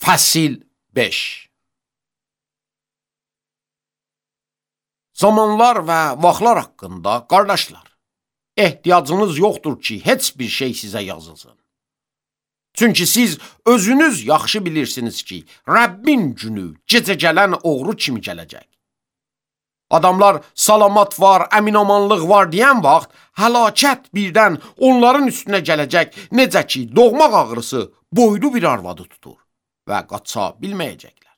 Fəsil 5. Zamanlar və vaxtlar haqqında, qardaşlar, ehtiyacınız yoxdur ki, heç bir şey sizə yazılsın. Çünki siz özünüz yaxşı bilirsiniz ki, Rəbbin günü gecə gələn oğru kimi gələcək. Adamlar salamat var, əminamanlıq var deyən vaxt, həlakət birdən onların üstünə gələcək, necə ki, doğmaq ağrısı boylu bir arvadı tutur və qaça bilməyəcəklər.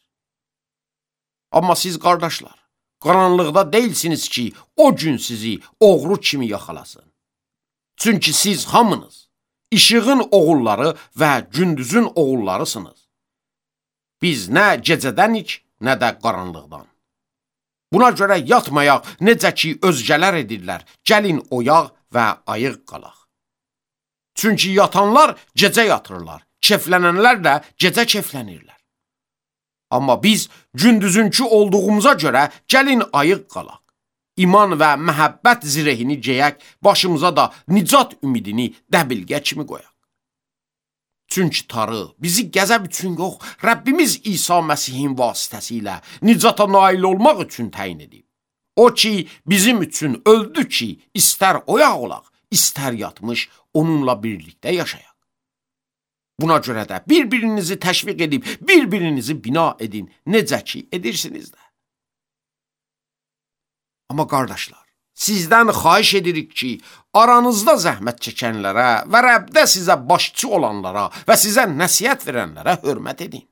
Amma siz, qardaşlar, qaranlıqda deyilsiniz ki, o gün sizi oğru kimi yaxalasın. Çünki siz hamınız işığın oğulları və gündüzün oğullarısınız. Biz nə gecədənik, nə də qaranlıqdan. Buna görə yatmayaq, necə ki, özgələr edirlər, gəlin oyaq və ayıq qalaq. Çünki yatanlar gecə yatırlar, keflənənlər də gecə keflənirlər. Amma biz gündüzünkü olduğumuza görə gəlin ayıq qalaq. İman və məhəbbət zirehini geyək, başımıza da nicat ümidini dəbilgə kimi qoyaq. Çünki Tanrı bizi qəzəb üçün yox, Rəbbimiz İsa Məsihin vasitəsilə nicata nail olmaq üçün təyin edib. O ki, bizim üçün öldü ki, istər oyaq olaq, istər yatmış, onunla birlikdə yaşayaq. Buna görə də bir-birinizi təşviq edib, bir-birinizi bina edin, necə ki, edirsiniz də. Amma qardaşlar, sizdən xahiş edirik ki, aranızda zəhmət çəkənlərə və Rəbdə sizə başçı olanlara və sizə nəsihət verənlərə hörmət edin.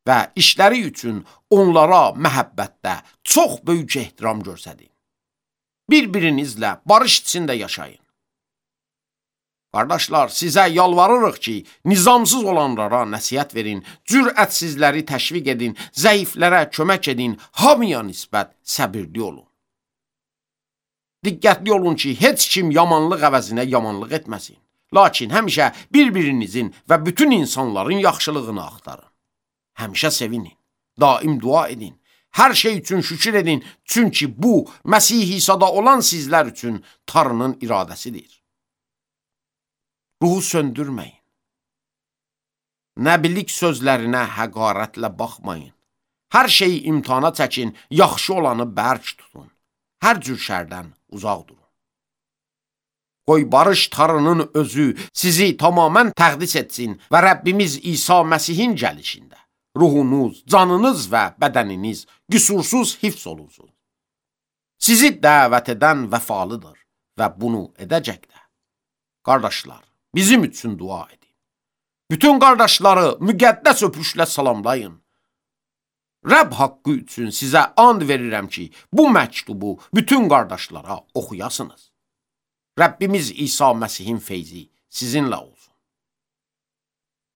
Və işləri üçün onlara məhəbbətdə çox böyük ehtiram göstərin. Bir-birinizlə barış içində yaşayın. Qardaşlar, sizə yalvarırıq ki, nizamsız olanlara nəsihət verin, cürətsizləri təşviq edin, zəiflərə kömək edin, hamıya nisbət səbirli olun. Diqqətli olun ki, heç kim yamanlıq əvəzinə yamanlıq etməsin. Lakin həmişə bir-birinizin və bütün insanların yaxşılığını axtarın. Həmişə sevinin, daim dua edin, hər şey üçün şükür edin, çünki bu, Məsih İsa'da olan sizlər üçün Tanrının iradəsidir. Ruhu söndürməyin. Nəbilik sözlərinə həqarətlə baxmayın. Hər şeyi imtihana çəkin, yaxşı olanı bərk tutun. Hər cür şərdən uzaq durun. Qoy barış Tanrının özü sizi tamamən təqdis etsin və Rəbbimiz İsa Məsihin gəlişində ruhunuz, canınız və bədəniniz qüsursuz hifz olunsun. Sizi dəvət edən vəfalıdır və bunu edəcək də. Qardaşlar, bizim üçün dua edin. Bütün qardaşları müqəddəs öpüşlə salamlayın. Rəbb haqqı üçün sizə and verirəm ki, bu məktubu bütün qardaşlara oxuyasınız. Rəbbimiz İsa Məsihin feyzi sizinlə olsun.